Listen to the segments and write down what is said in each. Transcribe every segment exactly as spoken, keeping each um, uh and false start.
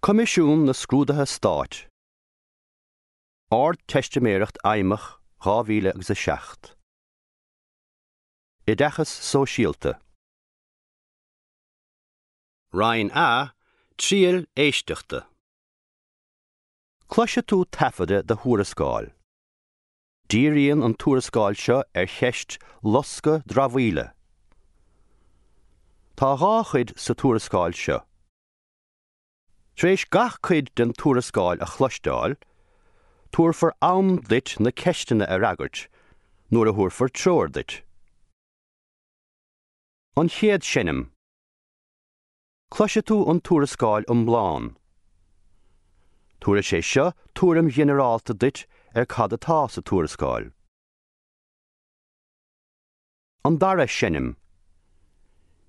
Coimisiún na Scrúduithe Stáit Ardteistiméireacht Fheidhmeach dhá mhíle agus a seacht Oideachas Sóisialta Roinn A, Triail Éisteachta Cloisfidh tú taifeadadh de thuarascáil. Díríonn an tuarascáil seo ar cheist loscadh dramhaíola. Tá dhá chuid sa tuarascáil seo. Tar éis gach cuid den tuarascáil a chloisteáil, tabharfar am duit na ceisteanna a fhreagairt nuair a thabharfar treoir duit. An chéad seinm. Cloisfidh tú an tuarascáil iomlán. Tabharfaidh sé seo tuairim ghinearálta duit ar cad atá sa tuarascáil. An dara seinm.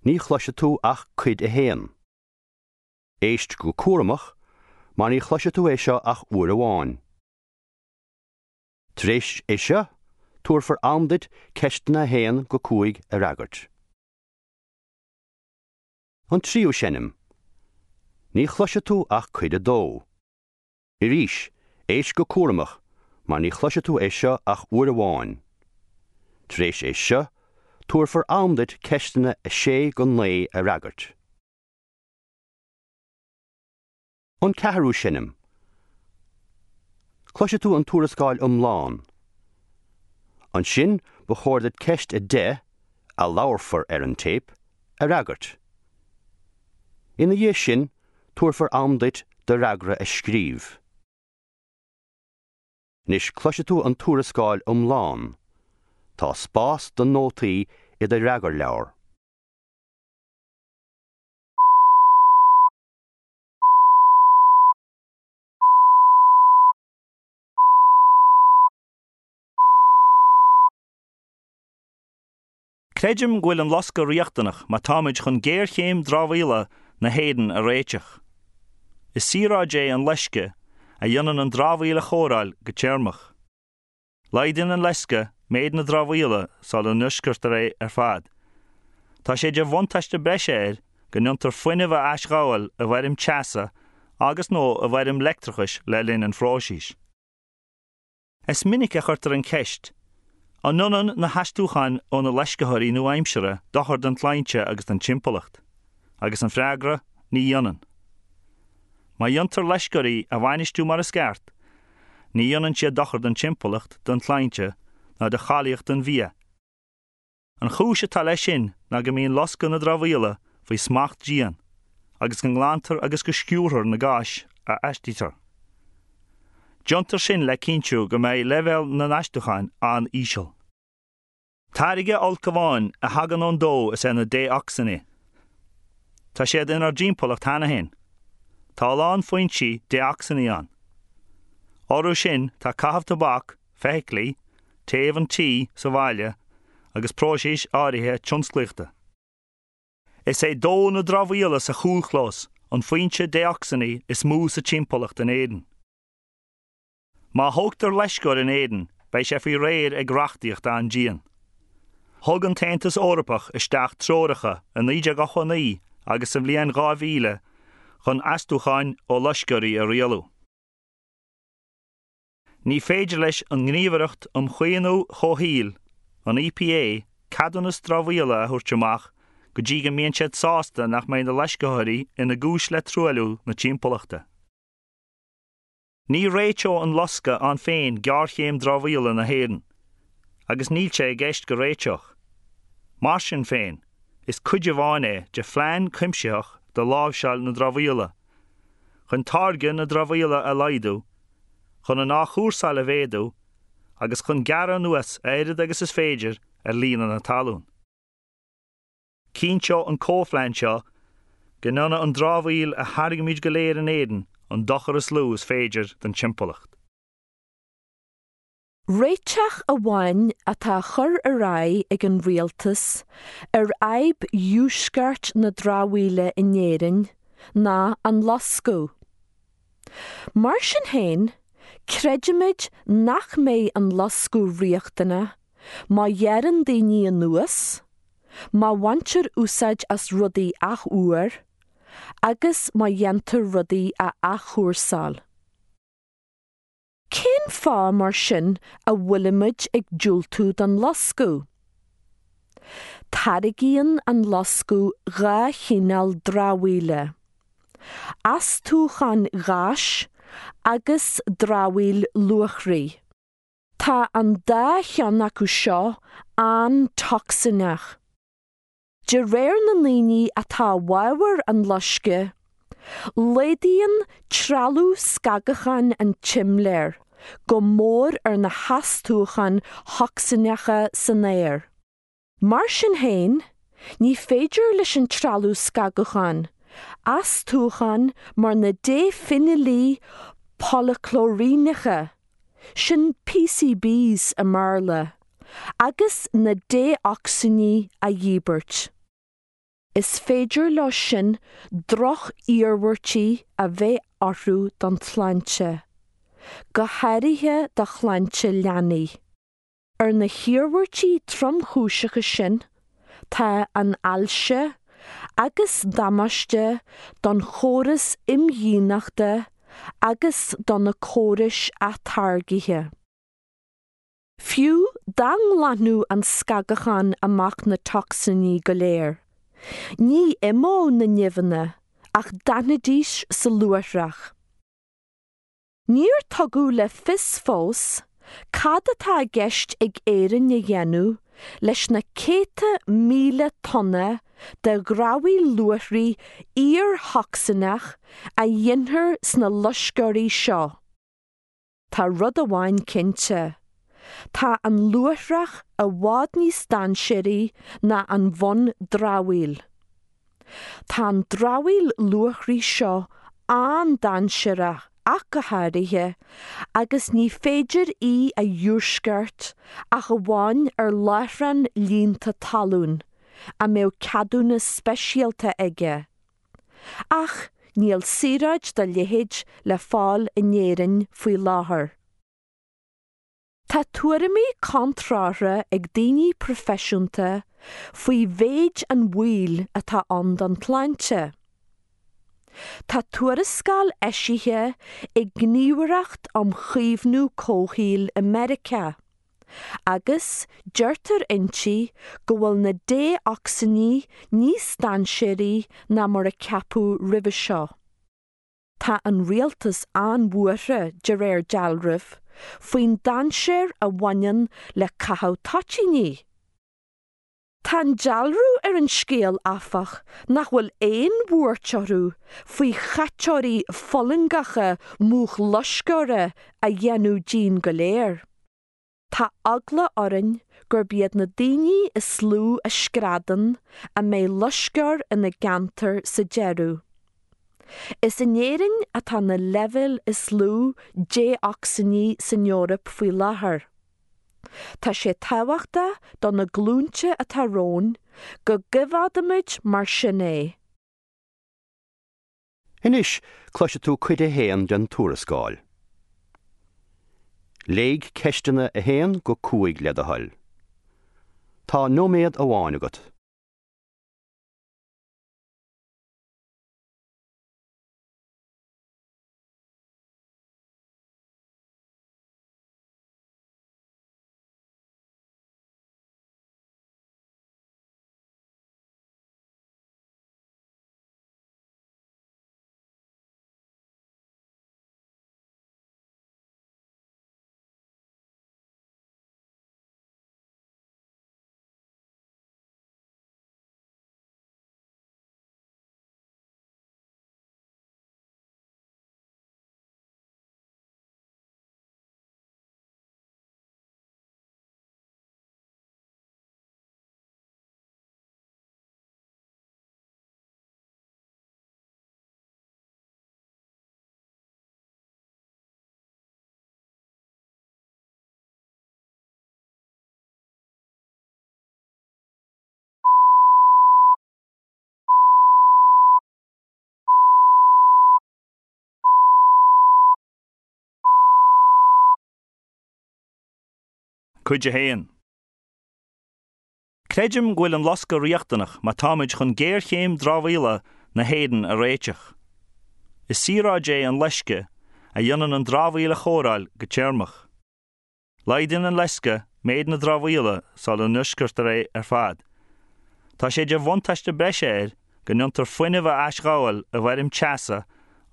Ní chloisfidh tú ach cuid a haon. Éist go cúramach, mar ní chloisfidh tú é seo ach uair amháin. Tar éis é seo, tabharfar am duit ceisteanna a haon go cúig a fhreagairt. An tríú seinm. Ní chloisfidh tú ach cuid a dó. Arís, éist go cúramach, mar ní chloisfidh tú é seo ach uair amháin. Tar éis é seo, tabharfar am duit ceisteanna a sé go naoi a fhreagairt. An ceathrú seinm. Cloisfidh tú an tuarascáil iomlán. Ansin ba chóir duit ceist a deich, a labharfar ar an téip, a fhreagairt. Ina dhiaidh sin, tabharfar am duit do fhreagra a scríobh. Anois cloisfidh tú an tuarascáil iomlán. Tá spás do nótaí i do fhreagarleabhar. Creidim go bhfuil an loscadh riachtanach má táimid chun géarchéim dramhaíola na hÉireann a réiteach. Is saoráid é an loisceadh a dhéanann an dramhaíl a chóireáil go téarmach. Laghdaíonn an loisceadh méid na dramhaíola sula n-uisceartar é ar fad. Tá sé de bhuntáiste breise air go ndéantar fuinneamh a aisghabháil i bhfoirm teasa agus nó i bhfoirm leictreachais le linn an phróisis. Is minic a chuirtear an cheist, an ndéanann na hastúcháin ó na loisctheoirí nua-aimseartha dochar don tsláinte agus don timpeallacht? Agus an freagra, ní dhéanann. Má dhéantar loisceoirí a bhainistiú mar is ceart, ní dhéanann siad dochar don timpeallacht, don tsláinte ná do cháilíocht an bhia. An chúis atá leis sin ná go mbíonn loscadh na dramhaíola faoi smacht dian, agus go nglantar agus go sciúrthar na gáis a astaítear. Déantar sin le cinntiú go mbeidh leibhéal na n-astúchán an-íseal. Táirge olc amháin a thagann ón dó is ea na dé-ocsainí. Tá siad inár dtimpeallacht cheana féin. Tá a lán foinsí dé-ocsainí ann. Orthu sin tá caitheamh tobac, feithiclí, téamh an tí sa bhaile agus próisis áirithe tionsclaíochta. Is é dó na dramhaíola sa chúlchlós an foinse dé-ocsainí is mó sa timpeallacht in Éirinn. Má thógtar loisceoir in Éirinn, beidh sé faoi réir ag reachtaíocht an-dian. Thug an tAontas Eorpach isteach treoracha i naoi déag ochtó a naoi agus sa bhliain dhá mhíle chun astúcháin ó loisceoirí a rialú. Ní féidir leis an nGníomhaireacht um Chaomhnú Comhshaoil, an E P A, ceadúnas dramhaíola a thabhairt amach go dtí go mbíonn siad sásta nach mbeidh na loisceoirí ina gcúis le truailliú na timpeallachta. Ní réiteoidh an loscadh ann féin géarchéim dramhaíola na hÉireann, agus níl sé i gceist go réiteodh. Mar sin féin, is cuid amháin é de phlean cuimsitheach do láimhseáil na dramhaíola, chun táirgeadh na dramhaíola a laghdú, chun an athchúrsáil a mhéadú, agus chun gearradh anuas a oiread agus is féidir ar líonadh na talún. Cinnteoidh an comhphlean seo go ndéanfaidh an dramhaíl a tháirgimid go léir in Éirinn an dochar is lú is féidir don timpeallacht. Réiteach amháin atá á chur ar aghaidh ag an rialtas ar fhadhb dhiúscairt na dramhaíola in Éirinn ná an loscadh. Mar sin féin, creidimid nach mbeidh an loscadh riachtanach má ghearrann daoine anuas, má bhaintear úsáid as rudaí athuair, agus má dhéantar rudaí a athchúrsáil. Cén fáth mar sin a bhfuilimid ag diúltú don loscadh? Táirgíonn an loscadh dhá chineál dramhaíola, astúcháin gháis agus dramhaíl luachraí. Tá an dá cheann acu seo an-tocsaineach. De réir na ndaoine atá i bhfabhar an loiscthe, laghdaíonn trealamh scagacháin an tsimléir go mór ar na hastúcháin thocsaineacha san aer. Mar sin féin, ní féidir leis an trealamh scagacháin astúcháin mar na défheinilí polaclóiríneacha, sin PCBs i mBéarla, agus na dé-ocsainí a dhíbirt. Is féidir leo sin droch-iarmhairtí a bheith orthu don tsláinte, go háirithe do shláinte leanaí. Ar na hiarmhairtí tromchúiseacha sin tá an ailse agus damáiste don chóras imdhíonachta agus do na córais atáirgthe. Fiú dá nglanfadh an scagachán amach na tocsainí go léir, ní imeodh na nimheanna ach d'fhanfaidís sa luaithreach. Níor tugadh le fios fós cad atá i gceist ag Éirinn a dhéanamh leis na céadta míle tonna de dhramhaíl luachraí iar-thocsaineach a ghintear sna loisceoirí seo. Tá rud amháin cinnte, tá an luaithreach i bhfad níos dainséaraí ná an bhun-dramhaíl. Tá an dramhaíl luachraí seo an-dainséarach ach go háirithe agus ní féidir í a dhiúscairt ach amháin ar láithreán líonta talún a mbeadh ceadúnas speisialta aige. Ach níl saoráid dá leithéid le fáil in Éirinn faoi láthair. Tá tuairimí contrártha ag daoine proifisiúnta faoi mhéid an bhaoil atá ann don tsláinte. Tá tuarascáil eisithe ag Gníomhaireacht um Chaomhnú Comhshaoil i Meiriceá, agus deirtear inti go bhfuil na dé-ocsainí níos dainséaraí ná mar a ceapadh roimhe seo. Tá an rialtas an-bhuartha de réir dealraimh faoin dainséar a bhaineann le caitheamh toitíní. Tá an dealramh ar an scéal, áfach, nach bhfuil aon bhuairt orthu faoi chaiteoirí fulaingeacha múch loisceora a dhéanamh dínn go léir. Tá eagla orainn gurb iad na daoine is lú a screadann a mbeidh loisceoir ina gceantar sa deireadh. Is in Éirinn atá na leibhéil is lú dé-ocsainí san Eoraip faoi láthair. Tá sé tábhachtach do na glúinte atá romhainn go gcoimeádfaimid mar sin é. Anois cloisfidh tú cuid a haon den tuarascáil. Léigh ceisteanna a haon go cúig le do thoil. Tá nóiméad amháin agat. Cuid a haon. Creidim go bhfuil an loscadh riachtanach má táimid chun géarchéim dramhaíola na hÉireann a réiteach. Is saoráid é an loisceadh a dhéanann an dramhaíl a chóireáil go téarmach. Laghdaíonn an loisceadh méid na dramhaíola sula n-uisceartar é ar fad. Tá sé de bhuntáiste breise air go ndéantar fuinneamh a aisghabháil i bhfoirm teasa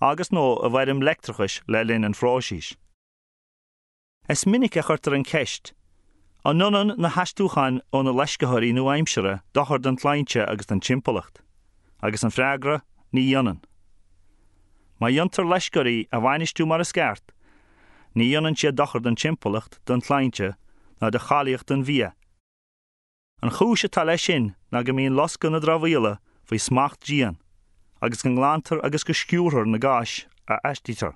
agus nó i bhfoirm leictreachais le linn an phróisis. Is minic a chuirtear an cheist, an ndéanann na hastúcháin ó na loisctheoirí nua-aimseartha dochar don tsláinte agus don timpeallacht? Agus an freagra, ní dhéanann. Má dhéantar loisctheoirí a bhainistiú mar is ceart, ní dhéanann siad dochar don timpeallacht, don tsláinte ná do cháilíocht an bhia. An chúis atá leis sin ná go mbíonn loscadh na dramhaíola faoi smacht dian, agus go nglantar agus go sciúrthar na gáis a astaítear.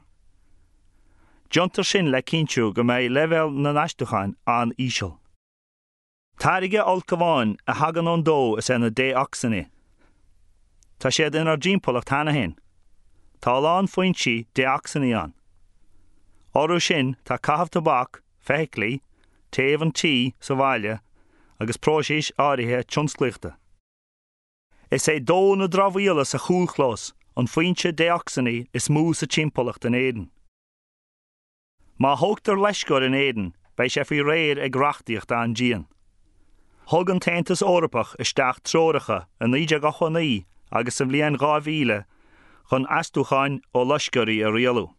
Déantar sin le cinntiú go mbeidh leibhéal na n-astúchán an-íseal. Táirge olc amháin a thagann ón dó is ea na dé-ocsainí. Tá siad inár dtimpeallacht cheana féin. Tá a lán foinsí dé-ocsainí ann. Orthu sin tá caitheamh tobac, feithiclí, téamh an tí sa bhaile agus próisis áirithe tionsclaíochta. Is é dó na dramhaíola sa chúlchlós an foinse dé-ocsainí is mó sa timpeallacht in Éirinn. Má thógtar loisceoir in Éirinn, beidh sé faoi réir ag reachtaíocht an-dian. Thug an tAontas Eorpach isteach treoracha i naoi déag ochtó a naoi agus sa bhliain dhá mhíle chun astúcháin ó loisceoirí a rialú.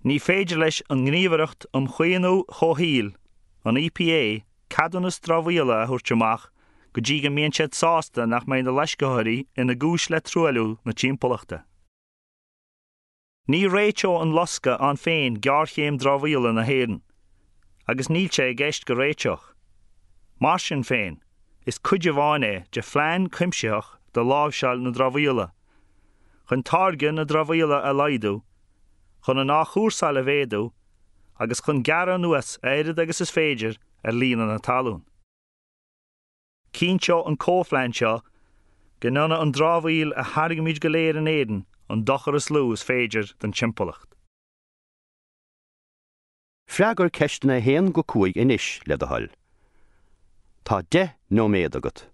Ní féidir leis an nGníomhaireacht um Chaomhnú Comhshaoil, an E P A, ceadúnas dramhaíola a thabhairt amach go dtí go mbíonn siad sásta nach mbeidh na loisctheoirí ina gcúis le truailliú na timpeallachta. Ní réiteoidh an loscadh ann féin géarchéim dramhaíola na hÉireann, agus níl sé i gceist go réiteodh. Mar sin féin, is cuid amháin é de phlean cuimsitheach do láimhseáil na dramhaíola, chun táirgeadh na dramhaíola a laghdú, chun an athchúrsáil a mhéadú, agus chun gearradh anuas a oiread agus is féidir ar líonadh na talún. Cinnteoidh an comhphlean seo go ndéanfaidh an dramhaíl a tháirgimid go léir in Éirinn an dochar is lú is féidir don timpeallacht. Freagair ceisteanna a haon go cúig anois, le do thoil. Tá deich nóiméad agat.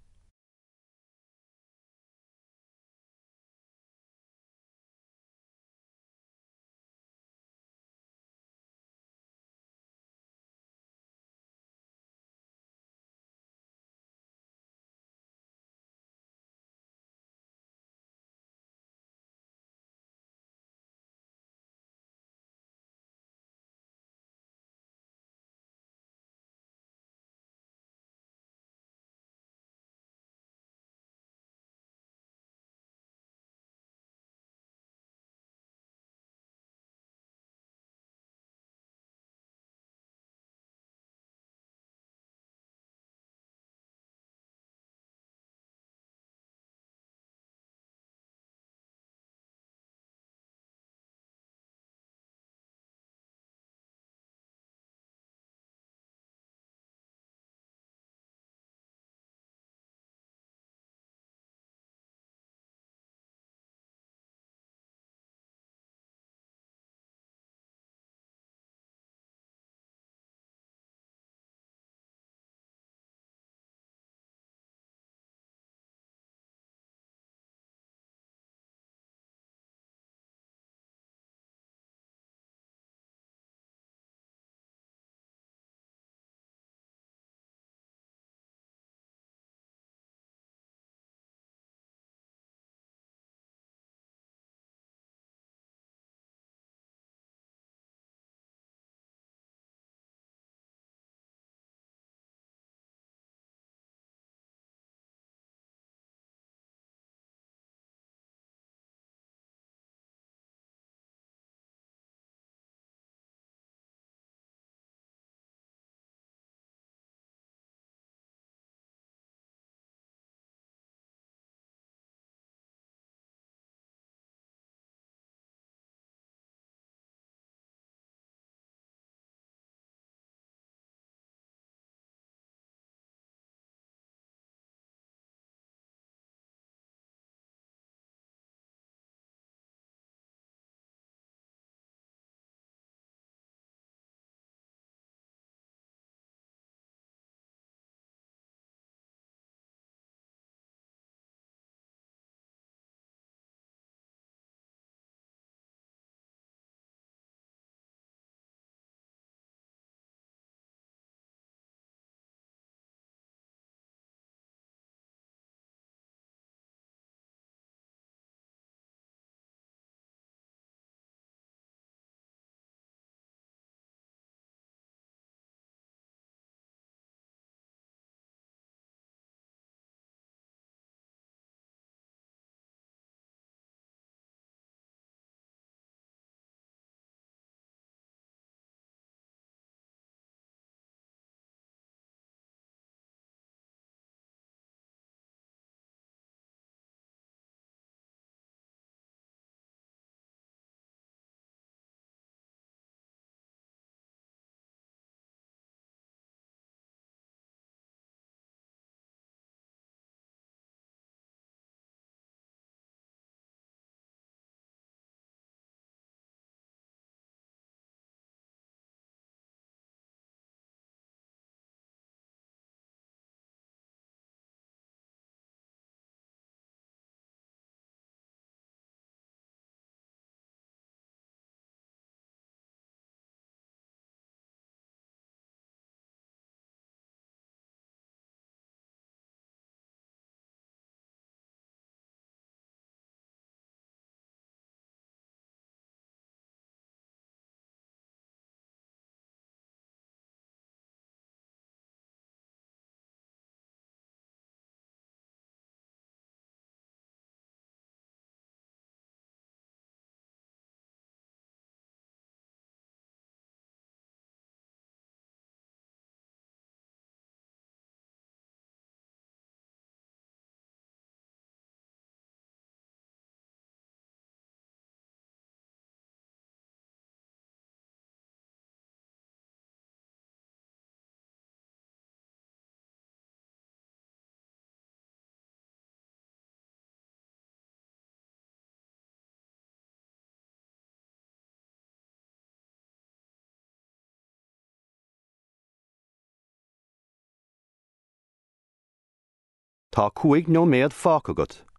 Tá cúig nóiméad fágtha agat.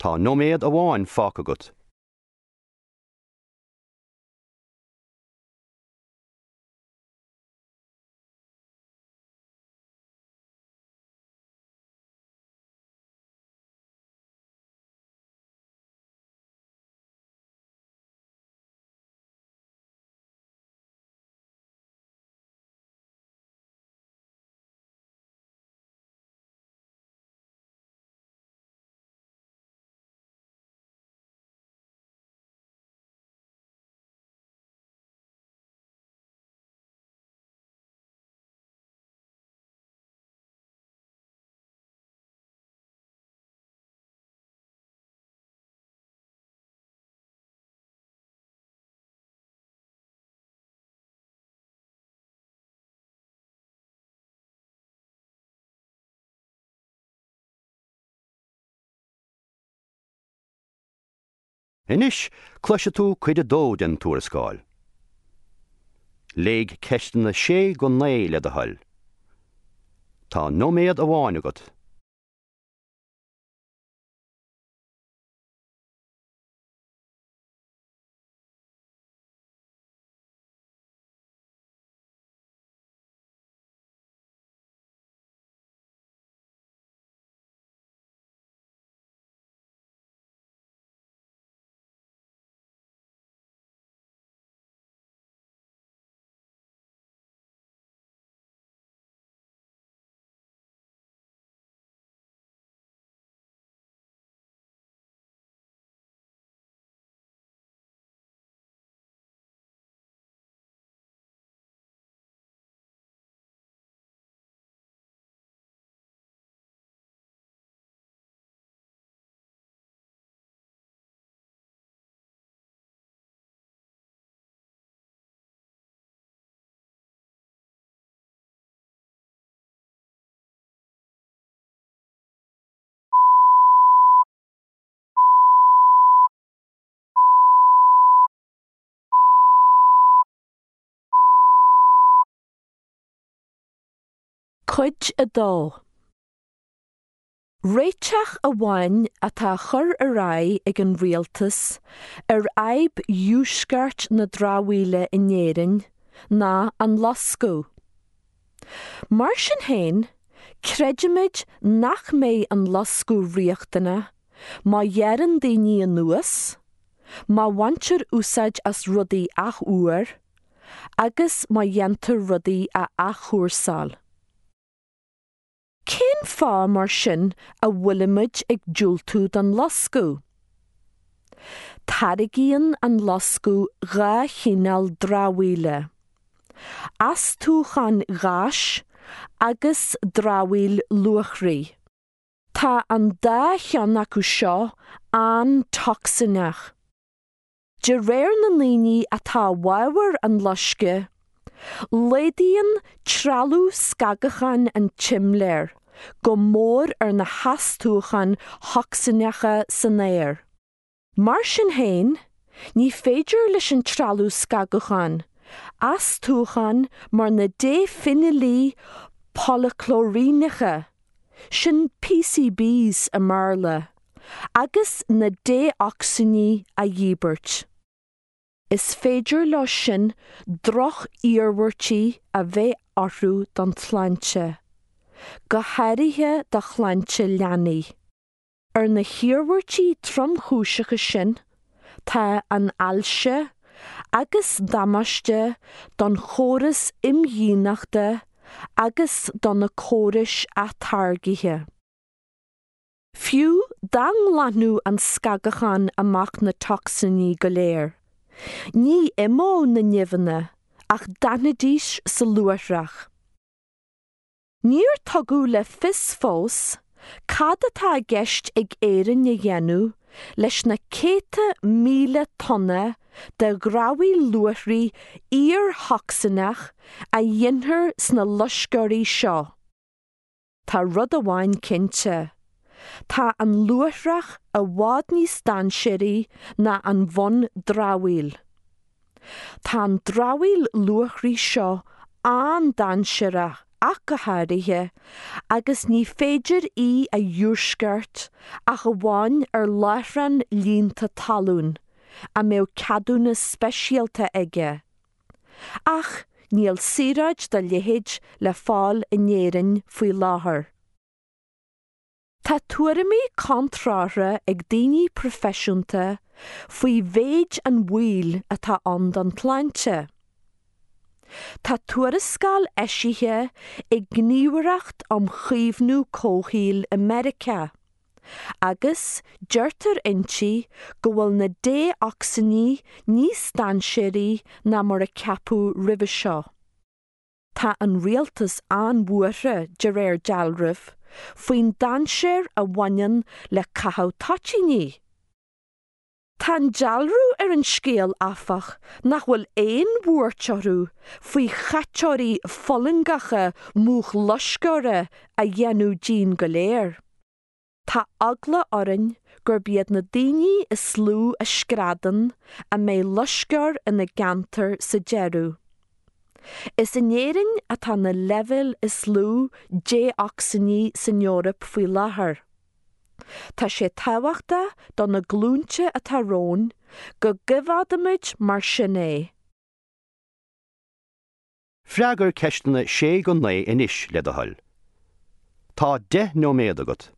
Tá nóiméad amháin fágtha agat. Anois cloisfidh tú cuid a dó den tuarascáil. Léigh ceisteanna sé go naoi le do thoil. Tá nóiméad amháin agat. Cuid a dó. Réiteach amháin atá á chur ar aghaidh ag an rialtas ar fhadhb dhiúscairt na dramhaíola in Éirinn ná an loscadh. Mar sin féin, creidimid nach mbeidh an loscadh riachtanach má ghearrann daoine anuas, má bhaintear úsáid as rudaí athuair, agus má dhéantar rudaí a athchúrsáil. Cén fáth mar sin a bhfuilimid ag diúltú don loscadh? Táirgíonn an loscadh dhá chineál dramhaíola, astúcháin gháis agus dramhaíl luachraí. Tá an dá cheann acu seo an-tocsaineach. De réir na ndaoine atá i bhfabhar an loiscthe, laghdaíonn trealamh scagacháin an tsimléir go mór ar na hastúcháin thocsaineacha san aer. Mar sin féin, ní féidir leis an trealamh scagacháin astúcháin mar na défheinilí polaclóiríneacha, sin PCBs i mBéarla, agus na dé-ocsainí a dhíbirt. Is féidir leo sin droch-iarmhairtí a bheith orthu don tsláinte, go háirithe do shláinte leanaí. Ar na hiarmhairtí tromchúiseacha sin tá an ailse agus damáiste don chóras imdhíonachta agus do na córais atáirgthe. Fiú dá nglanfadh an scagachán amach na tocsainí go léir. Ní imeodh na nimheanna ach d'fhanfaidís sa luaithreach. Níor tugadh le fios fós cad atá i gceist ag Éirinn a dhéanamh leis na céadta míle tonna de dhramhaíl luachraí iarthocsaineach a dhéanfar sna loisceoirí seo. Tá rud amháin cinnte. Tá an luaithreach i bhfad níos dainséaraí ná an bhun-dramhaíl. Tá an dramhaíl luachraí seo an-dainséarach ach go háirithe agus ní féidir í a dhiúscairt ach amháin ar láithreán líonta talún, a mbeadh ceadúnas speisialta aige. Ach níl saoráid dá leithéid le fáil in Éirinn faoi láthair. Tá tuairimí contrártha ag daoine proifisiúnta faoi mhéid an bhaoil atá ann don tsláinte. Tá tuarascáil eisithe ag Gníomhaireacht um Chaomhnú Comhshaoil i Meiriceá, agus deirtear inti go bhfuil na dé-ocsainí níos dainséaraí ná mar a ceapadh roimhe seo. Tá an rialtas an-bhuartha de réir dealraimh faoin dainséar a bhaineann le caitheamh toitíní. Tá an dealramh ar an scéal, áfach, nach bhfuil aon bhuairt orthu faoi chaiteoirí fulaingeacha múch loisceora a dhéanamh dínn go léir. Tá eagla orainn gurb iad na daoine is lú a screadann a mbeidh loisceoir ina gceantar sa deireadh. Is in Éirinn atá na leibhéil is lú dé-ocsainí san Eoraip faoi láthair. Tá sé tábhachtach do na glúnta atá romhainn go gcoimeádfaimid mar sin é. Freagair ceisteanna sé go naoi anois le do thoil. Tá deich nóiméad agat.